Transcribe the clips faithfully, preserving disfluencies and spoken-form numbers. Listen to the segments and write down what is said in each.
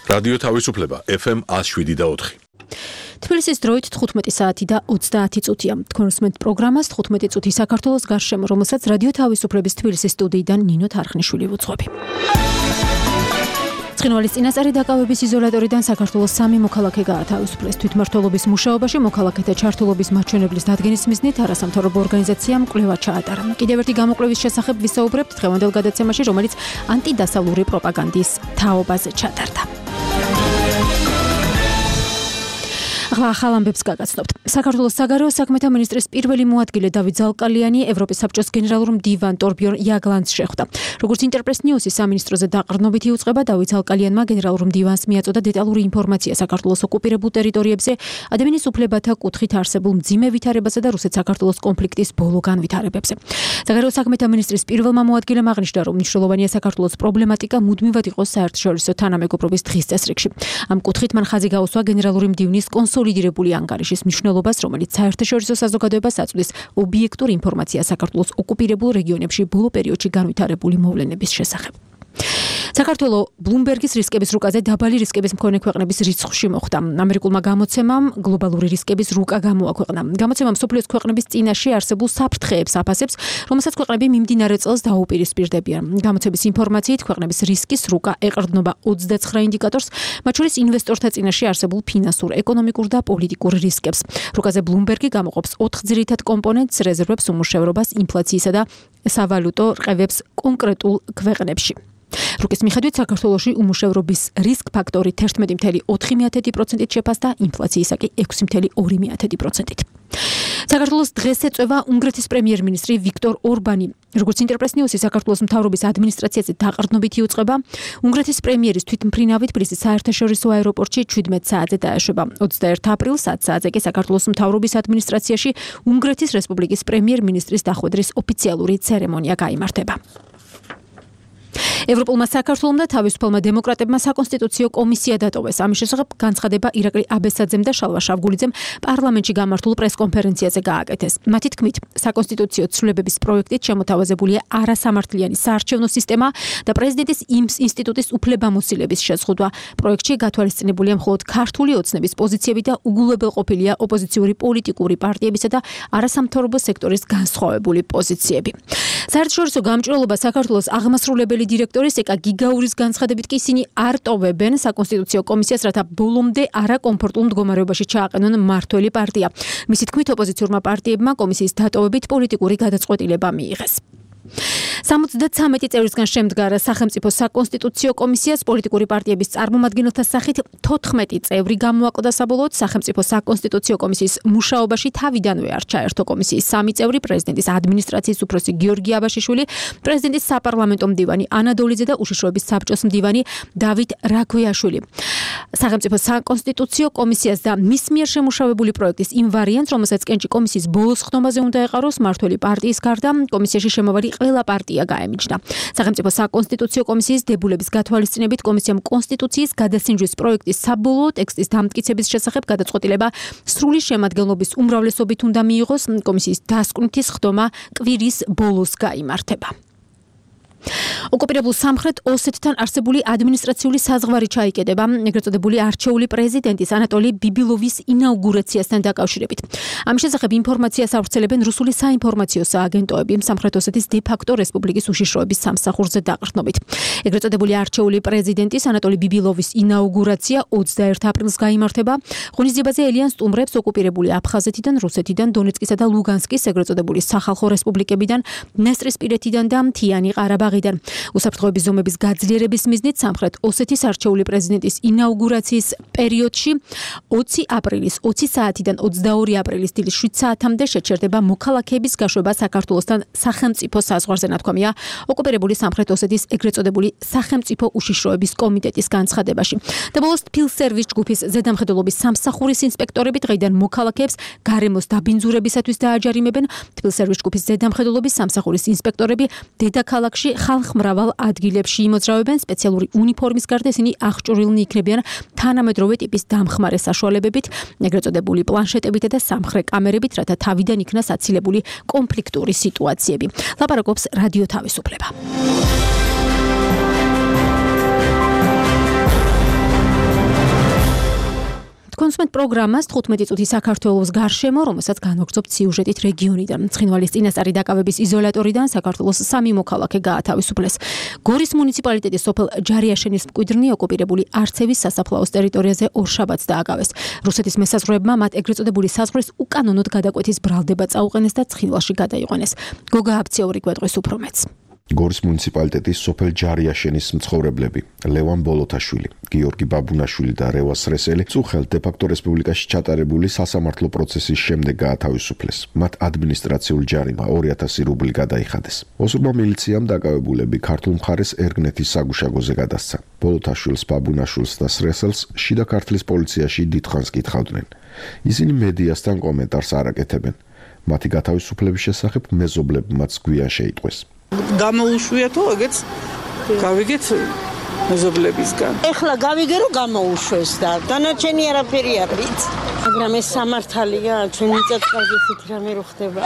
რადიო თავისუფლება ეფ ემ ათს შვიდი და ოთხი. თბილისის დროით თხუთმეტი საათი და ოცდაათი წუთია. თქვენ უსმენთ პროგრამას თხუთმეტი წუთი საქართველოს გარშემო, რომელსაც რადიო თავისუფლების თბილისის სტუდიიდან ნინო თარხნიშვილი ვუძღვები. ცხინვალის წინასწარი დაკავების იზოლატორიდან საქართველოს სამი მოქალაქე გაათავისუფლეს. თვითმმართველობის მუშაობაში მოქალაქეთა ჩართულობის მაჩვენებლის დადგენის მიზნით არასამთავრობო ორგანიზაციამ კვლევა ჩაატარა. კიდევ ერთი გამოკვლევის შესახებ ვისაუბრებთ დღევანდელ გადაცემაში, რომელიც ანტიდასავლური პროპაგანდის თაობაზე ჩატარდა. ახლა ახალ ამბებს გაგაცნობთ. საქართველოს საგარეო საქმეთა მინისტრის პირველი მოადგილე დავით ზალკალიანი ევროპის საბჭოს გენერალურ მდივან ტორბიორ იაგლანდს შეხვდა. როგორც ინტერპრეს ნიუსის სამინისტროზე დაყრდნობით იუწყება, დავით ზალკალიანმა გენერალურ მდივანს მიაწოდა დეტალური ინფორმაცია საქართველოს ოკუპირებულ ტერიტორიებზე, ადამიანის უფლებათა კუთხით არსებულ მძიმე ვითარებასა და რუსეთ-საქართველოს კონფლიქტის ბოლო განვითარებებზე. საგარეო საქმეთა მინისტრის პირველმა მოადგილემ აღნიშნა, რომ მნიშვნელოვანია საქართველოს პრობლემატიკა მუდმივად იყოს საერთაშორისო თანამეგობრობის დღის წესრიგში. ამ კუთხით მან ხაზი გაუსვა გენერალური მდივნის კონსოლიდირებული ანგარიშის მნიშვნელობას, რომელიც საერთაშორისო საზოგადოებას აწვდის ობიექტურ ინფორმაციას საქართველოს ოკუპირებულ რეგიონებში ბოლო პერიოდში განვითარებული მოვლენების შესახებ. საქართველო ბლუმბერგის რისკების რუკაზე დაბალი რისკების მქონე ქვეყნების რიცხვში მოხვდა. ამერიკულმა გამოცემამ გლობალური რისკების რუკა გამოაქვეყნა. გამოცემამ მსოფლიოს ქვეყნების წინაშე არსებულ საფრთხეებს აფასებს, რომელსაც ქვეყნები მიმდინარე წელს დაუპირისპირდებიან. გამოცემის ინფორმაციით ქვეყნების რისკის რუკა ეყრდნობა ოცდაცხრა ინდიკატორს, მათ შორის ინვესტორთა წინაშე არსებულ ფინანსურ, ეკონომიკურ და პოლიტიკურ რისკებს. რუკაზე ბლუმბერგი გამოყოფს ოთხ ძირითად კომპონენტს: რეზერვებს, უმუშევრობას, ინფლაციისა და სავალუტო რყევებს კონკრეტულ ქვეყნებში. რუკის მიხედვით საქართველოში უმუშევრობის რისკ ფაქტორი თერთმეტი წუთი ოთხი პროცენტით შეფასდა, ინფლაციისა კი ექვსი წუთი ორი პროცენტით. საქართველოს დღეს ეწევა უნგრეთის პრემიერ-მინისტრი ვიქტორ ორბანი. როგორც ინტერპრეს ნიუსი საქართველოს მთავრობის ადმინისტრაციაზე დაყრდნობით იუწყება, უნგრეთის პრემიერის თვითმფრინავი თბილისის საერთაშორისო აეროპორტში ჩვიდმეტ საათზე დაეშვება. ოცდაერთი აპრილს ათ საათზე კი საქართველოს მთავრობის ადმინისტრაციაში უნგრეთის რესპუბლიკის პრემიერ-მინისტრის დახვედრის ოფიციალური ცერემონია გაიმართება. ევროპულმა საქართველომ და თავისუფალმა დემოკრატებმა საკონსტიტუციო კომისია დატოვეს. ამის შესახებ განცხადება ირაკლი აბესაძემ და შალვა შავგულიძემ პარლამენტში გამართულ პრესკონფერენციაზე გააკეთეს. მათი თქმით, საკონსტიტუციო ცვლილებების პროექტით შემოთავაზებულია არასამართლიანი საარჩევნო სისტემა და პრეზიდენტის ინსტიტუტის უფლებამოსილების შეზღუდვა. პროექტში გათვალისწინებულია მხოლოდ ქართული ოცნების პოზიციები და უგულებელყოფილია ოპოზიციური პოლიტიკური პარტიებისა და არასამთავრობო სექტორის განსხვავებული პოზიციები. საერთაშორისო გამჭვირვალობა საქართველოს აღმასრულებელი დირექტორის ეკა გიგაურის განცხადებით კი ისინი არ ტოვებენ საკონსტიტუციო კომისიას, რათა ბოლომდე არაკომფორტულ მდგომარეობაში ჩააყენონ მმართველი პარტია. მისი თქმით, ოპოზიციურმა პარტიებმა კომისიის დატოვებით პოლიტიკური გადაწყვეტილება მიიღეს. სამოცდათვრამეტი წევრისგან შემდგარ სახელმწიფო საკონსტიტუციო კომისიას პოლიტიკური პარტიების წარმომადგენელთა სახით თოთხმეტი წევრი გამოაკლდა. საბოლოოდ სახელმწიფო საკონსტიტუციო კომისიის მუშაობაში თავიდანვე არ ჩაერთო კომისიის სამი წევრი: პრეზიდენტის ადმინისტრაციის უფროსი გიორგი აბაშიშვილი, პრეზიდენტის საპარლამენტო მდივანი ანა დოლიძე და უშიშროების საბჭოს მდივანი დავით რაქვიაშვილი. სახელმწიფო საკონსტიტუციო კომისიას და მის მიერ შემუშავებული პროექტის იმ ვარიანტს, რომელსაც კენჭი კომისიის ბოლოს ხდომაზე უნდა ეყაროს, მმართველი პარტიის გარდა კომისიაში შემავალი ყველა პარტია გაემიჯნა. სახელმწიფო საკონსტიტუციო კომისიის დებულების გათვალისწინებით კომისიამ კონსტიტუციის გადასინჯვის პროექტის საბოლოო ტექსტის დამტკიცების შესახებ გადაწყვეტილება სრული შემადგენლობის უმრავლესობით უნდა მიიღოს. კომისიის დასკვნითი ხდომა კვირის ბოლოს გაიმართება. ოკუპირებულ სამხრეთ ოსეთთან არსებული ადმინისტრაციული საზღვარი ჩაიკედება ეგრეთ წოდებული არჩეული პრეზიდენტის ანატოლი ბიბილოვის ინაუგურაციასთან დაკავშირებით. ამის შესახებ ინფორმაციას ავრცელებენ რუსული საინფორმაციო სააგენტოები სამხრეთ ოსეთის დე-ფაქტო რესპუბლიკის უშიშროების სამსახურზე დაყრდნობით. ეგრეთ წოდებული არჩეული პრეზიდენტის ანატოლი ბიბილოვის ინაუგურაცია ოცდაერთი აპრილს გაიმართება. ღონისძიებაზე ელიან სტუმრებს ოკუპირებული აფხაზეთიდან, რუსეთიდან, დონეცკისა და ლუგანსკის ეგრეთ წოდებული სახალხო რესპუბლიკებიდან, დნესტრისპირეთიდან და მთიანი ყარაბაღიდან. უსაფრთხოების ზომების გაძლიერების მიზნით სამხრეთ ოსეთის არჩეული პრეზიდენტის ინაუგურაციის პერიოდში ოცი აპრილის ოცი საათიდან ოცდაორი აპრილის დილის შვიდ საათამდე შეჩერდება მოქალაქეების გაშვება საქართველოსთან სახელმწიფო საზღვარზე, ნათქვამია ოკუპირებული სამხრეთ ოსეთის ეგრეთ წოდებული სახელმწიფო უშიშროების კომიტეტის განცხადებაში. და ბოლოს თბილსერვის ჯგუფის ზედამხედველობის სამსახურის ინსპექტორები დღეიდან მოქალაქეებს გარემოს დაბინძურებისათვის დააჯარიმებენ. თბილსერვის ჯგუფის ზედამხედველობის სამსახურის ინსპექტორები დედაქალაქში ხალხმრავალ ადგილებში იმოძრავებენ. სპეციალური უნიფორმის გარდა ისინი აღჭურვილნი იქნებიან თანამედროვე ტიპის დამხმარე საშუალებებით, ეგრეთ წოდებული პლანშეტებით და სამხრე კამერებით, რათა თავიდან იქნას აცილებული კონფლიქტური სიტუაციები. ლაპარაკობს რადიო თავისუფლება. თქვენსმენთ პროგრამას თხუთმეტი წუთი საქართველოს გარშემო, რომელსაც განვაგრძობთ სიუჟეტით რეგიონიდან. ცხინვალის წინასწარი დაკავების იზოლატორიდან საქართველოს სამი მოქალაქე გაათავისუფლეს. გორის მუნიციპალიტეტის სოფელ ჯარიაშენის მკვიდრნი ოკუპირებული არცევის სასაფლაოს ტერიტორიაზე ორშაბათს დააკავეს. რუსეთის მესაზღვრეებმა მათ ეგრეთ წოდებული საზღვრის უკანონოდ გადაკვეთის ბრალდება წაუყენეს და ცხინვალში გადაიყვანეს. გოგა აბციური გვეტყვის უფრო მეც. გორის მუნიციპალიტეტის სოფელ ჯარიაშენის მცხოვრებლები ლევან ბოლოთაშვილი, გიორგი ბაბუნაშვილი და რევას რესელი წუხელთ დე-ფაქტო რესპუბლიკაში ჩატარებული სასამართლო პროცესის შემდეგ გაათავისუფლეს. მათ ადმინისტრაციული ჯარიმა ორი ათასი რუბლი გადაიხადეს. ოსურმა მილიციამ დაკავებულები ქართულ მხარეს ერგნეთის საგუშაგოზე გადასცა. ბოლოთაშვილს, ბაბუნაშვილს და სრესელს შიდა ქართლის პოლიციაში დიდხანს კითხავდნენ. ისინი მედიასთან კომენტარს არ აკეთებენ. მათი გათავისუფლების შესახებ მეზობლებმაც გვიან შეიტყვეს. გამოუშვიათო, ეგეც გავიგეთ მეზობლებისგან. ეხლა გავიგე რომ გამოუშვეს და დანარჩენი არაფერი არ ვიცი. მაგრამ ეს სამართალია, ჩვენ მიწათყალზე ისეთი რამე რო ხდება.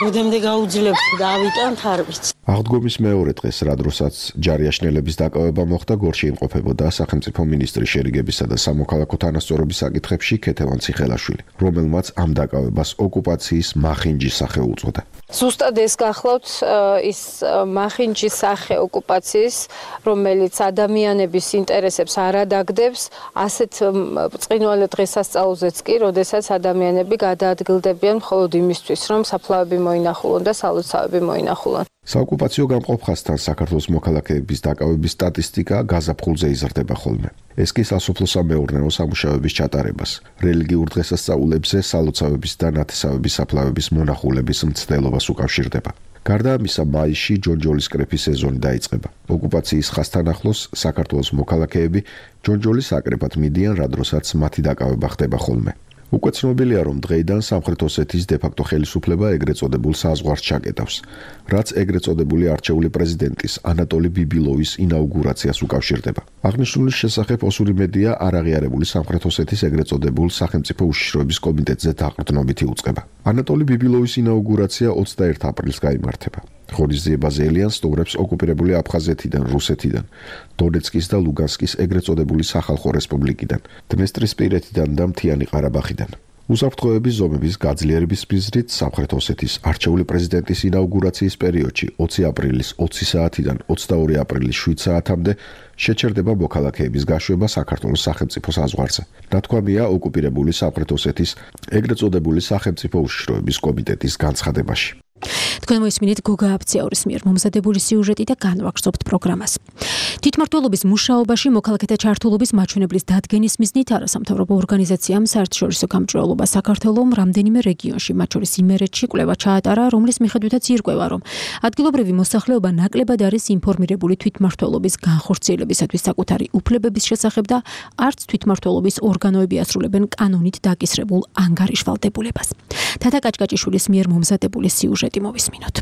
როდემდე გაუძლებთ და ავიტანთ არ ვიცი. აღდგომის მეორე დღეს, რადროსაც ჯარიაშნელების დაკავება მოხდა, გორში იმყოფებოდა სახელმწიფო მინისტრის შერიგებისა და სამოქალაქო თანასწორობის საკითხებში ქეთევან ციხელაშვილი, რომელმაც ამ დაკავებას ოკუპაციის მახინჯის სახე უწოდა. ზუსტად ეს გახლავთ ის მახინჯის სახე ოკუპაციის, რომელიც ადამიანების ინტერესებს არ ადაგდებს, ასეთ ბრწყინვალე დღესასწაულზეც კი, როდესაც ადამიანები გადაადგილდებიან მხოლოდ იმისთვის, რომ საფლავები მოინახულონ და სალოცავები მოინახულონ. საოკუპაციო გამყოფხასთან საქართველოს მოქალაქეების დაკავების სტატისტიკა გაზაფხულზე იზრდება ხოლმე. ეს კი სასოფლო-სამეურნეო სამუშაოების ჩატარებას, რელიგიურ დღესასწაულებზე სალოცავების და ნათესავების საფლავების მონახულების მცდელობას უკავშირდება. გარდა ამისა, მაისში ჯონჯოლის კრეფის სეზონი დაიწყება. ოკუპაციის ხასთან ახლოს საქართველოს მოქალაქეები ჯონჯოლის აკრეფად მიდიან, რადროსაც მათი დაკავება ხდება ხოლმე. უკვე ცნობილია, რომ დღეიდან სამხრეთ ოსეთის დე-ფაქტო ხელისუფლება ეგრეთ წოდებულ საზღვარს ჩაკეტავს, რაც ეგრეთ წოდებული არჩეული პრეზიდენტის ანატოლი ბიბილოვის ინაუგურაციას უკავშირდება. აღნიშნულის შესახებ ოსური მედია არაღიარებული სამხრეთ ოსეთის ეგრეთ წოდებულ სახელმწიფო უშიშროების კომიტეტზე დაყრდნობით იუწყება. ანატოლი ბიბილოვის ინაუგურაცია ოცდაერთი აპრილს გაიმართება. ღორიზიე ბაზელიან სტუმრებს ოკუპირებული აფხაზეთიდან, რუსეთიდან, დონეცკის და ლუგანსკის ეგრეთ წოდებული სახალხო რესპუბლიკიდან, დნესტრისპირეთიდან და მთიანი ყარაბაღიდან. უსაფრთხოების ზომების გაძლიერების მიზნით სამხრეთ ოსეთის არჩეული პრეზიდენტის ინაუგურაციის პერიოდში ოცი აპრილის ოცი საათიდან ოცდაორი აპრილის შვიდ საათამდე შეჩერდება მოქალაქეების გაშვება საქართველოს სახელმწიფო საზღვარზე. ნათქვამია ოკუპირებული სამხრეთ ოსეთის ეგრეთ წოდებული სახელმწიფო უშიშროების კომიტეტის განცხადებაში. თქვენ მოისმინეთ გოგა აბციაურის მიერ მომზადებული სიუჟეტი და განვაგრძობთ პროგრამას. თვითმმართველობის მუშაობაში მოქალაქეთა ჩართულობის მაჩვენებლის დადგენის მიზნით არასამთავრობო ორგანიზაციამ საერთაშორისო გამჭვირვალობა საქართველოს რამდენიმე რეგიონში, მათ შორის იმერეთში კვლევა ჩაატარა, რომლის მიხედვითაც ირკვევა, რომ ადგილობრივი მოსახლეობა ნაკლებად არის ინფორმირებული თვითმმართველობის განხორციელებისათვის საკუთარი უფლებების შესახებ და არც თვითმმართველობის ორგანოები ასრულებენ კანონით დაკისრებულ ანგარიშვალდებულებას. თათა კაჭკაჭიშვილის მიერ მომზადებული სიუჟეტი მოვისმინოთ.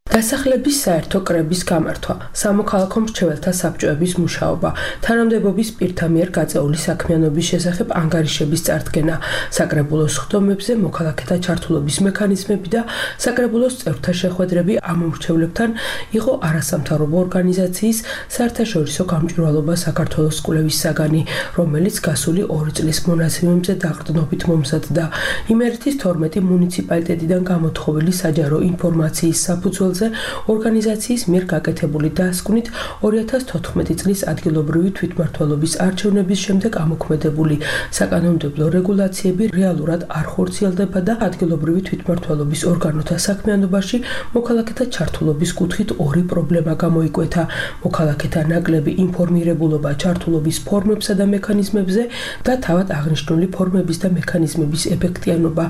დასახლების საერთო კრების გამართვა, სამოქალაქო მრჩეველთა საბჭოების მუშაობა, თანამდებობის პირთა მიერ გაწეული საქმიანობის შესახებ ანგარიშების წარდგენა, საკრებულოს ხდომებზე მოქალაქეთა ჩართულობის მექანიზმები და საკრებულოს წევრთა შეხვედრები ამ მრჩევლებთან იყო არასამთავრობო ორგანიზაციის საერთაშორისო გამჭვირვალობა საქართველოს კვლევის საგანი, რომელიც გასული ორი წლის მონაცემებზე დაყრდნობით მომზადდა. იმერეთის თორმეტი მუნიციპალიტეტიდან გამოთხოვილი საჯარო ინფორმაციის საფუძველზე ორგანიზაციის მიერ გაკეთებული დასკვნით ორი ათას თოთხმეტი წლის ადგილობრივი თვითმმართველობის არჩევნების შემდეგ ამოქმედებული საკანონმდებლო რეგულაციები რეალურად არ ხორციელდება და ადგილობრივი თვითმმართველობის ორგანოთა საქმიანობაში მოქალაქეთა ჩართულობის კუთხით ორი პრობლემა გამოიკვეთა: მოქალაქეთა ნაკლები ინფორმირებულობა ჩართულობის ფორმებსა და მექანიზმებზე და თავად აღნიშნული ფორმების და მექანიზმების ეფექტიანობა.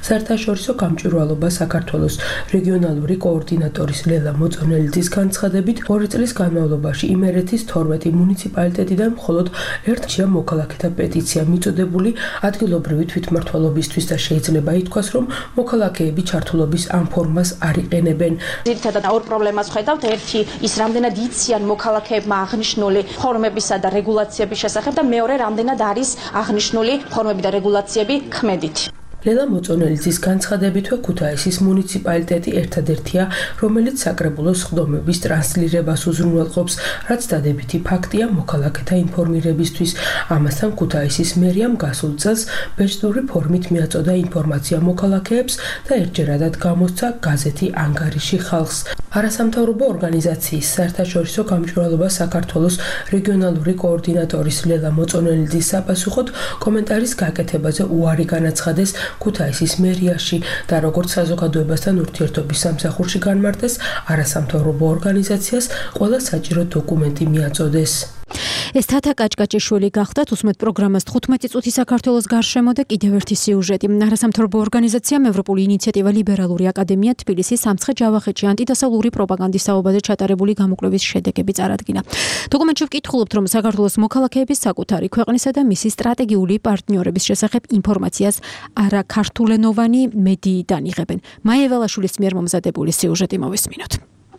საერთაშორისო გამჭვირვალობა საქართველოს რეგიონალური კოორდინატორი ლელა მოწონელიძის განცხადებით, ორი წლის განმავლობაში იმერეთის თორმეტი მუნიციპალიტეტიდან მხოლოდ ერთია მოქალაქეთა პეტიცია მიწოდებული ადგილობრივი თვითმმართველობისთვის და შეიძლება ითქვას, რომ მოქალაქეები ჩართულობის ამ ფორმას არ იყენებენ. ძირითადად ორ პრობლემას ხედავთ. ერთი ის, რამდენად იციან მოქალაქეებმა აღნიშნული ფორმებისა და რეგულაციების შესახებ და მეორე, რამდენად არის აღნიშნული ფორმები და რეგულაციები ქმედით. ლელა მოწონელიძის განცხადებითვე ქუთაისის მუნიციპალიტეტი ერთადერთია, რომელიც საკრებულოს სხდომების ტრანსლირებას უზრუნველყოფს, რაც დადებითი ფაქტია მოქალაქეთა ინფორმირებისთვის. ამასთან ქუთაისის მერიამ გასულ წელს ბეჭდური ფორმით მიაწოდა ინფორმაცია მოქალაქეებს და ერთჯერადად გამოსცა გაზეთი ანგარიში ხალხს. არასამთავრობო ორგანიზაციის საერთაშორისო გამჭვირვალობა საქართველოს რეგიონალური კოორდინატორის ლელა მოწონელიძის საპასუხოდ კომენტარის გაკეთებაზე უარი განაცხადეს ქუთაისის მერიაში და როგორც საზოგადოებასთან ურთიერთობის სამსახურში განმარტეს, არასამთავრობო ორგანიზაციას ყველა საჭირო დოკუმენტი მიაწოდეს. ეს თათა კაჭკაჭიშვილი გახდათ უსმეთ პროგრამას თხუთმეტი წუთი საქართველოს გარშემო და კიდევ ერთი სიუჟეტი. არასამთავრობო ორგანიზაციამ ევროპული ინიციატივა ლიბერალური აკადემია თბილისის სამცხე-ჯავახეთში ანტიდასავლური პროპაგანდის საუბაზე ჩატარებული გამოკვლევის შედეგები წარადგინა. დოკუმენტში ვკითხულობთ, რომ საქართველოს მოქალაქეების საკუთარი ქვეყნისა და მისი სტრატეგიული პარტნიორების შესახებ ინფორმაციას არაქართულენოვანი მედიიდან იღებენ. მაია ველაშვილის მიერ მომზადებული სიუჟეტი მოვისმინოთ.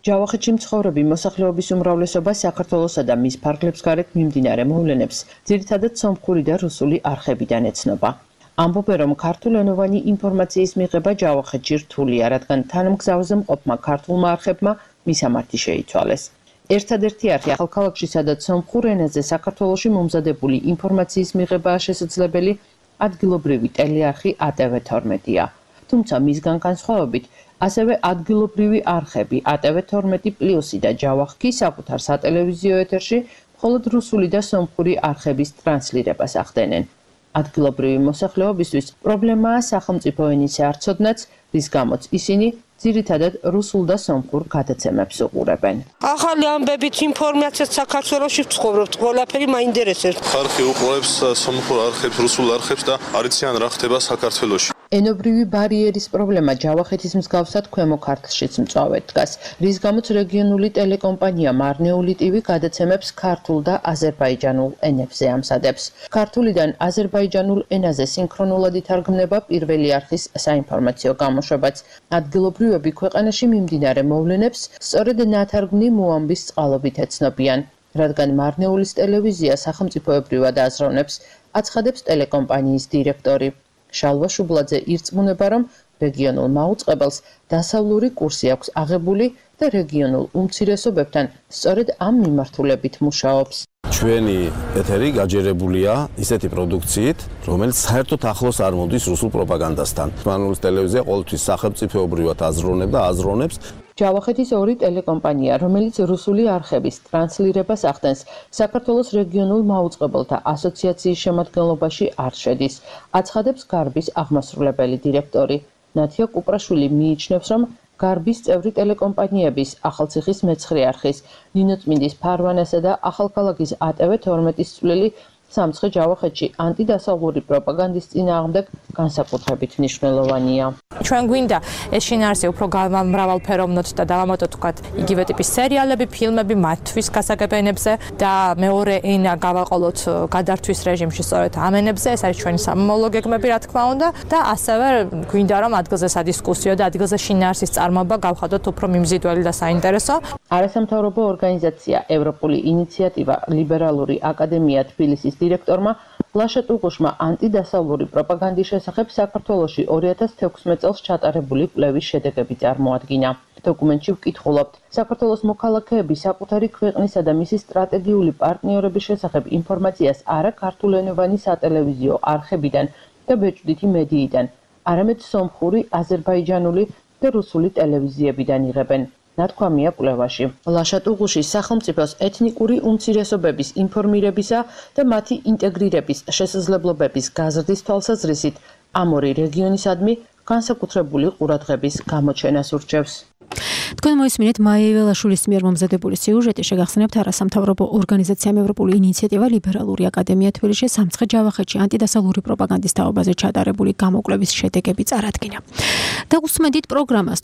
ჯავახეთში მცხოვრები მოსახლეობის უმრავლესობა საქართველოსა და მის ფარგლებს გარეთ მიმდინარე მოვლენებს ძირითადად სომხური და რუსული არხებიდან ეცნობა. ამბობენ, რომ ქართულენოვანი ინფორმაციის მიღება ჯავახეთში რთულია, რადგან თანამგზავრზე მყოფმა ქართულმა არხებმა მისამართი შეიცვალეს. ერთადერთი არხი ახალქალაქში, სადაც სომხურ ენაზე საქართველოში მომზადებული ინფორმაციის მიღებაა შესაძლებელი, ადგილობრივი ტელეარხი ა ტე ვე თორმეტია. თუმცა მისგან განსხვავებით, ასევე ადგილობრივი არხები ა ტე ვე თორმეტი პლუსი და ჯავახი საკუთარ სატელევიზიო ეთერში მხოლოდ რუსული და სომხური არხების ტრანსლირებას ახდენენ. ადგილობრივი მოსახლეობისთვის პრობლემაა სახელმწიფო ენის არცოდნაც, რის გამოც ისინი ძირითადად რუსულ და სომხურ გადაცემებს უყურებენ. ახალი ამბებით ინფორმაციას საქართველოში ვცხოვრობთ, ყველაფერი მაინტერესებს. ხალხი უყურებს სომხურ არხებს, რუსულ არხებს და არ იციან რა ხდება საქართველოში. ენობრივი ბარიერის პრობლემა ჯავახეთის მსგავსად ქვემო ქართლშიც მწვავედ დგას, რის გამოც რეგიონული ტელეკომპანია მარნეული ტივი გადაცემებს ქართულ და აზერბაიჯანულ ენებზე ამზადებს. ქართულიდან აზერბაიჯანულ ენაზე სინქრონულად ითარგმნება პირველი არხის საინფორმაციო გამოშვებაც. ადგილობრივები ქვეყანაში მიმდინარე მოვლენებს სწორედ ნათარგმნი მოამბის წყალობით ეცნობიან, რადგან მარნეულის ტელევიზია სახელმწიფოებრივად აზროვნებს, აცხადებს ტელეკომპანიის დირექტორი. შალვა შუბლაძე ირწმუნება, რომ რეგიონულ მაუწყებელს დასავლური კურსი აქვს აღებული და რეგიონულ უმცირესობებთან სწორედ ამ მიმართულებით მუშაობს. ჩვენი ეთერი გაჯერებულია ისეთი პროდუქციით, რომელიც საერთოდ ახლოს არ მოდის რუსულ პროპაგანდასთან. მარნეულის ტელევიზია ყოველთვის სახელმწიფოებრივად აზროვნებს და აზროვნებს. ჯავახეთის ორი ტელეკომპანია, რომელიც რუსული არხების ტრანსლირებას ახდენს, საქართველოს რეგიონულ მაუწყებელთა ასოციაციის შემადგენლობაში არ შედის, აცხადებს გარბის აღმასრულებელი დირექტორი. ნათია კუპრაშვილი მიიჩნევს, რომ გარბის წევრი ტელეკომპანიების ახალციხის მეცხრე არხის, ნინოწმინდის ფარვანასა და ახალქალაქის ა ტე ვე თორმეტის წვლილი სამცხე-ჯავახეთში ანტიდასავლური პროპაგანდის წინააღმდეგ განსაკუთრებით მნიშვნელოვანია. ჩვენ გვინდა ეს შინაარსი უფრო მრავალფეროვნოთ და დავამატოთ თქვათ იგივე ტიპის სერიალები, ფილმები მათთვის გასაგებენებზე და მეორე ენა გავაყოლოთ გადართვის რეჟიმში სწორედ ამ ენებზე, ეს არის ჩვენი სამომავლო გეგმები რა თქმა უნდა და ასევე გვინდა რომ ადგილზე სადისკუსიო და ადგილზე შინაარსის წარმოება გავხადოთ უფრო მიმზიდველი და საინტერესო. არასამთავრობო ორგანიზაცია ევროპული ინიციატივა ლიბერალური აკადემია თბილისის დირექტორმა ლაშა ტუღუშმა ანტიდასავლური პროპაგანდის შესახებ საქართველოში ორი ათას თექვსმეტ წელს ჩატარებული კვლევის შედეგები წარმოადგინა. დოკუმენტში ვკითხულობთ, საქართველოს მოქალაქეები საკუთარი ქვეყნისა და მისი სტრატეგიული პარტნიორების შესახებ ინფორმაციას არა ქართულენოვანი სატელევიზიო არხებიდან და ბეჭდვითი მედიიდან, არამედ სომხური, აზერბაიჯანული და რუსული ტელევიზიებიდან იღებენ. ნათქვამია კვლევაში. ლაშა ტუღუშის სახელმწიფოს ეთნიკური უმცირესობების ინფორმირებისა და მათი ინტეგრირების შესაძლებლობების გაზრდის თვალსაზრისით ამ ორი რეგიონისადმი განსაკუთრებული ყურადღების გამოჩენას ურჩევს. თქვენ მოისმინეთ მაია ველაშვილის მიერ მომზადებული სიუჟეტი, შეგახსენებთ არასამთავრობო ორგანიზაციამ ევროპული ინიციატივა ლიბერალური აკადემია თბილისში სამცხე-ჯავახეთში ანტიდასავლური პროპაგანდის თაობაზე ჩატარებული გამოკვლევის შედეგები წარადგინა. და უსმედით პროგრამას